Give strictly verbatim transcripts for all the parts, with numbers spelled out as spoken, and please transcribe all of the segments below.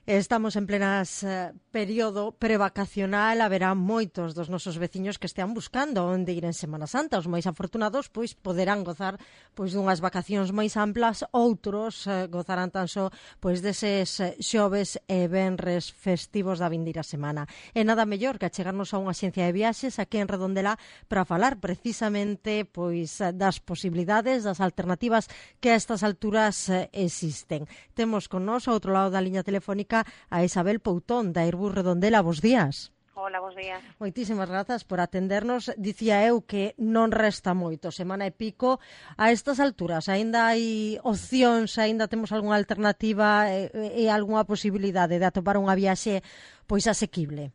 Estamos en plenas eh, período prevacacional, haberá moitos dos nosos veciños que estean buscando onde ir en Semana Santa. Os máis afortunados pois poderán gozar pois dunhas vacacións máis amplas, outros eh, gozarán tan só pois deses eh, xoves e venres festivos da vindeira semana. E nada mellor que achegarnos a unha axencia de viaxes aquí en Redondela para falar precisamente pois das posibilidades, das alternativas que a estas alturas eh, existen. Temos con nós ao outro lado da liña telefónica a Isabel Poutón, da Airbus Redondela. Bos días. Hola, bos días. Moitísimas grazas por atendernos. Dicía eu que non resta moito, semana e pico. A estas alturas, aínda hai opcións, aínda temos algunha alternativa e, e algunha posibilidade de atopar unha viaxe pois asequible?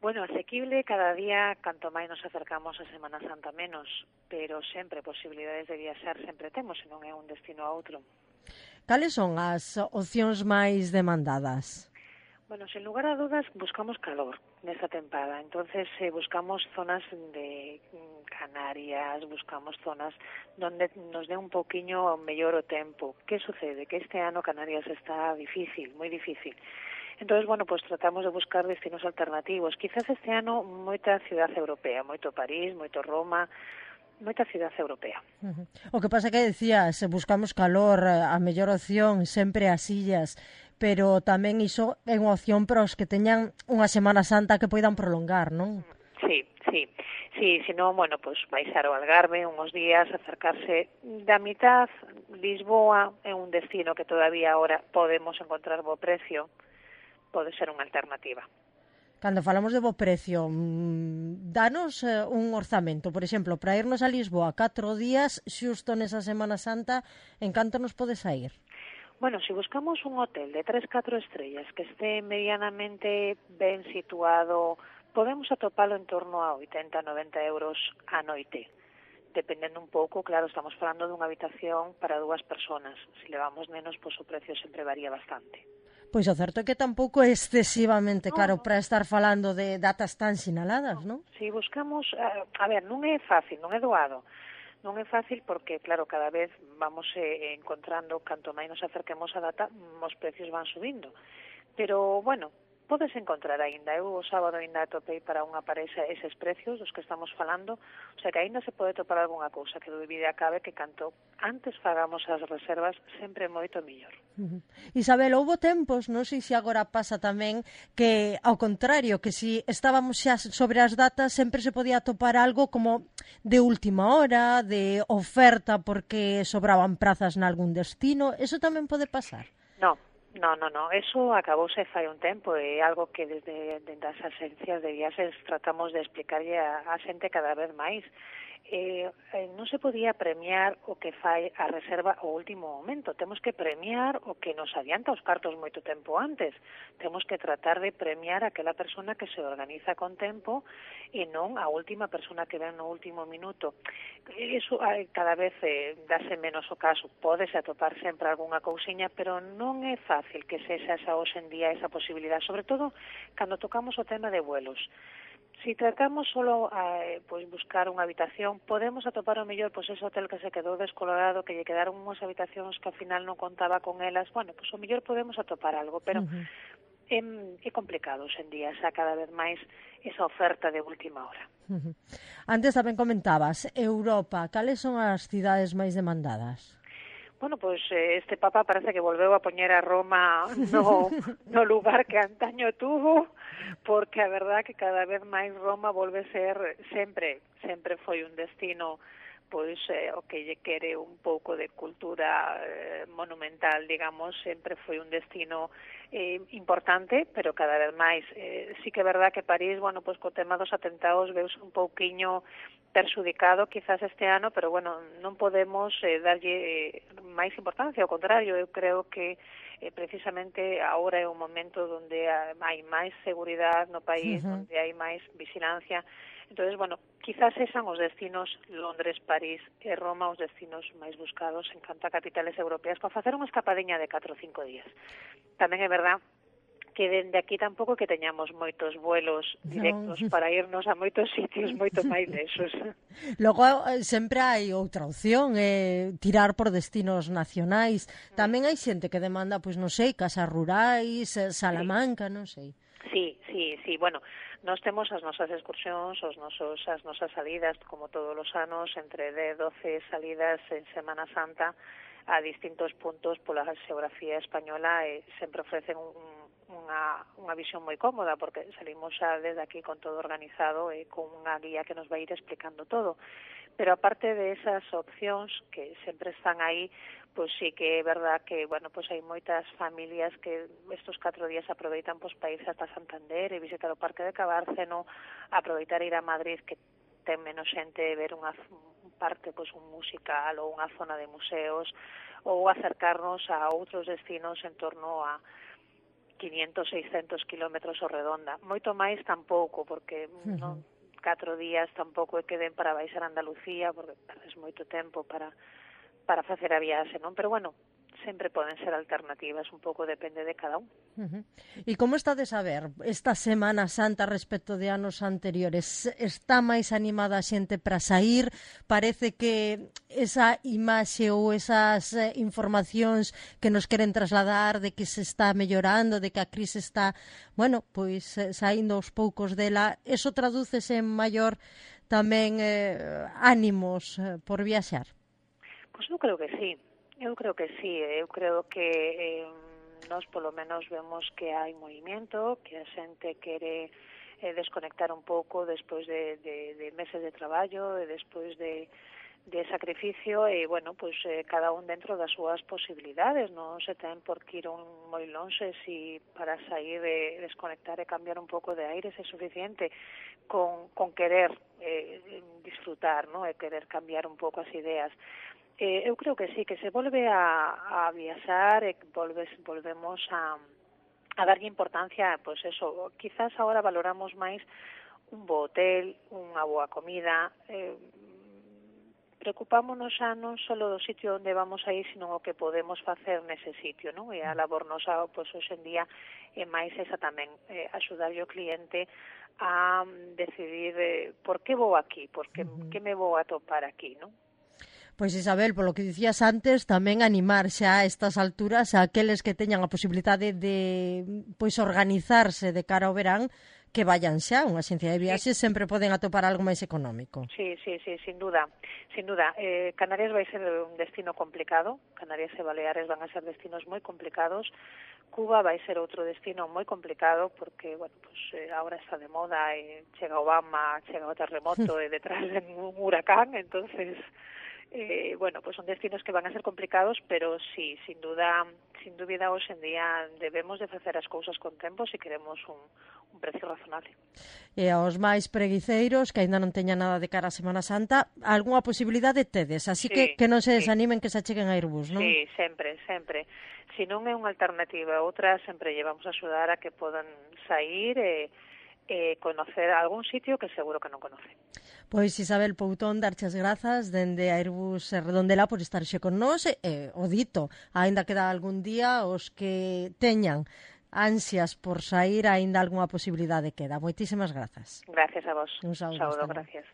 Bueno, asequible cada día, canto máis nos acercamos a Semana Santa menos, pero sempre posibilidades de viaxar sempre temos, se non é un destino a outro. Cales son as opcións máis demandadas? Bueno, sin lugar a dudas, buscamos calor nesta tempada. Entonces, eh, buscamos zonas de Canarias, buscamos zonas donde nos dé un poquinho mellor o tempo. Que sucede? Que este ano Canarias está difícil, moi difícil. Entonces, bueno, pues tratamos de buscar destinos alternativos. Quizás este ano moita cidade europea, moito París, moito Roma, moita cidade europea. Uh-huh. O que pasa que decías, buscamos calor, a mellor opción sempre as illas, pero tamén iso é unha opción para os que teñan unha Semana Santa que poidan prolongar, non? Sí, sí, sí, si non, bueno, pues baixar ao Algarve uns días, acercarse da mitad. Lisboa é un destino que todavía ahora podemos encontrar bo precio, pode ser unha alternativa. Cando falamos de bo precio, danos eh, un orzamento, por exemplo, para irnos a Lisboa catro días, xusto nesa Semana Santa, en canto nos pode sair? Bueno, se si buscamos un hotel de tres, catro estrellas que esté medianamente ben situado, podemos atopalo en torno a oitenta, noventa euros a noite. Dependendo un pouco, claro, estamos falando dunha habitación para dúas personas. Se levamos menos, pois o precio sempre varía bastante. Pois o certo é que tampouco é excesivamente no, caro para estar falando de datas tan sinaladas, non? Si buscamos, a, a ver, non é fácil, non é doado. Non é fácil porque, claro, cada vez vamos eh, encontrando, canto máis nos acerquemos a data, os precios van subindo. Pero, bueno, podes encontrar aínda. Eu o sábado aínda atopei para unha parexa eses precios dos que estamos falando, o sea que aínda se pode topar algunha cousa que dúbida cabe que canto antes fagamos as reservas sempre moito mellor. Uh-huh. Isabel, houbo tempos, non sei se agora pasa tamén, que ao contrario, que si estábamos xa sobre as datas sempre se podía topar algo como de última hora, de oferta porque sobraban prazas nalgún destino. Eso tamén pode pasar? No. No, no, no, eso acabouse fai un tempo, é algo que desde, desde as agencias de viaxes tratamos de explicarlle a, a xente cada vez máis. Eh, eh, non se podía premiar o que fai a reserva ao último momento, temos que premiar o que nos adianta os cartos moito tempo antes, temos que tratar de premiar aquela persona que se organiza con tempo e non a última persona que ven no último minuto. Iso eh, cada vez eh, dase menos o caso, pódese atopar sempre algunha cousiña, pero non é fácil que sexa esa hoxe en día esa posibilidade, sobre todo cando tocamos o tema de vuelos. Si tratamos solo eh, pues buscar unha habitación, podemos atopar o mellor pois ese hotel que se quedou descolorado, que lle quedaron unhas habitacións que ao final non contaba con elas. Bueno, pois o mellor podemos atopar algo, pero uh-huh. é, é complicado hoxe en día, xa cada vez máis esa oferta de última hora. Uh-huh. Antes tamén comentabas, Europa, cales son as cidades máis demandadas? Bueno, pois pues, este Papa parece que volveu a poñer a Roma no, no lugar que antaño tuvo, porque a verdad que cada vez máis Roma volve ser, sempre, sempre foi un destino pois eh, o que lle quere un pouco de cultura eh, monumental, digamos, sempre foi un destino eh, importante, pero cada vez máis. Eh, sí que é verdad que París, bueno, pois co tema dos atentados veuse un pouquiño perxudicado quizás este ano, pero bueno, non podemos eh, darlle eh, máis importancia, ao contrario, eu creo que eh, precisamente agora é un momento onde hai máis seguridade no país, uh-huh. onde hai máis vigilancia. Entonces, bueno, quizás esan os destinos Londres, París e Roma os destinos máis buscados en canto a capitales europeas para facer unha escapadiña de catro ou cinco días. Tamén é verdad que dende aquí tampouco que teñamos moitos vuelos directos no. para irnos a moitos sitios moito máis desos. Logo, sempre hai outra opción, eh, tirar por destinos nacionais. Tamén hai xente que demanda, pois non sei, casas rurais, Salamanca, non sei. Sí, sí, sí, bueno, nós temos as nosas excursións, os nosos, as nosas salidas, como todos os anos, entre dez, doce salidas en Semana Santa a distintos puntos pola xeografía española e sempre ofrecen un, unha, unha visión moi cómoda porque salimos xa desde aquí con todo organizado e con unha guía que nos vai ir explicando todo. Pero aparte de esas opcións que sempre están aí, pois sí que é verdad que, bueno, pois hai moitas familias que estos catro días aproveitan pois para irse ata Santander e visitar o Parque de Cabárceno, aproveitar ir a Madrid que ten menos xente, ver unha parte, pois un musical ou unha zona de museos, ou acercarnos a outros destinos en torno a quinientos, seiscentos kilómetros ao redonda. Moito máis tampouco, porque uh-huh. non catro días tampouco é que den para baixar a Andalucía, porque perdes moito tempo para para facer a viaxe, non? Pero bueno, sempre poden ser alternativas, un pouco depende de cada un. Uh-huh. E como estades a ver esta Semana Santa respecto de anos anteriores? Está máis animada a xente para sair? Parece que esa imaxe ou esas eh, informacións que nos queren trasladar de que se está mellorando, de que a crise está, bueno, pois eh, saindo aos poucos dela, eso tradúcese en maior tamén eh, ánimos eh, por viaxar? Pois eu creo que sí. Eu creo que sí, eu creo que eh, nós polo menos vemos que hai movimento, que a xente quere eh, desconectar un pouco despois de, de, de meses de traballo e despois de, de sacrificio e, bueno, pois eh, cada un dentro das súas posibilidades, non se ten por que ir un moi lonxe si para sair e desconectar e cambiar un pouco de aire se é suficiente con, con querer eh, disfrutar, non? E querer cambiar un pouco as ideas. Eh, eu creo que sí, que se volve a, a viaxar e volves, volvemos a, a darlle importancia, pois pues eso, quizás agora valoramos máis un bo hotel, unha boa comida, eh, preocupámonos xa non só do sitio onde vamos a ir, sino o que podemos facer nese sitio, non? E a labor nosa, pois pues, hoxe en día, é máis esa tamén, eh, axudar o cliente a decidir eh, por que vou aquí, por que, uh-huh. que me vou a topar aquí, non? Pois Isabel, polo que dicías antes, tamén animar xa a estas alturas a aqueles que teñan a posibilidade de pois organizarse de cara ao verán, que vayan xa, unha axencia de viaxes, sí. Sempre poden atopar algo máis económico. Sí, sí, sí, sin duda, sin duda. Eh, Canarias vai ser un destino complicado, Canarias e Baleares van a ser destinos moi complicados, Cuba vai ser outro destino moi complicado porque, bueno, pues eh, ahora está de moda e chega Obama, chega o terremoto e detrás de un huracán, entonces... Eh, bueno, pues son destinos que van a ser complicados, pero sí, sin duda, sin dúbida, hoxe en día debemos de facer as cousas con tempo se queremos un, un precio razonable. E aos máis preguiceiros, que aínda non teñan nada de cara a Semana Santa, algunha posibilidade tedes, así sí, que que non se desanimen, sí. Que se acheguen a Airbus, non? Sí, sempre, sempre. Se non é unha alternativa, outra sempre llevamos a axudar a que podan sair e eh, conocer algún sitio que seguro que non conoce. Pois Isabel Poutón, darches grazas dende Airbus Redondela por estarxe con nós e, eh, o dito, aínda queda algún día os que teñan ansias por sair, aínda algunha posibilidade queda. Moitísimas grazas. Gracias a vos. Un saúdo, saúdo gracias.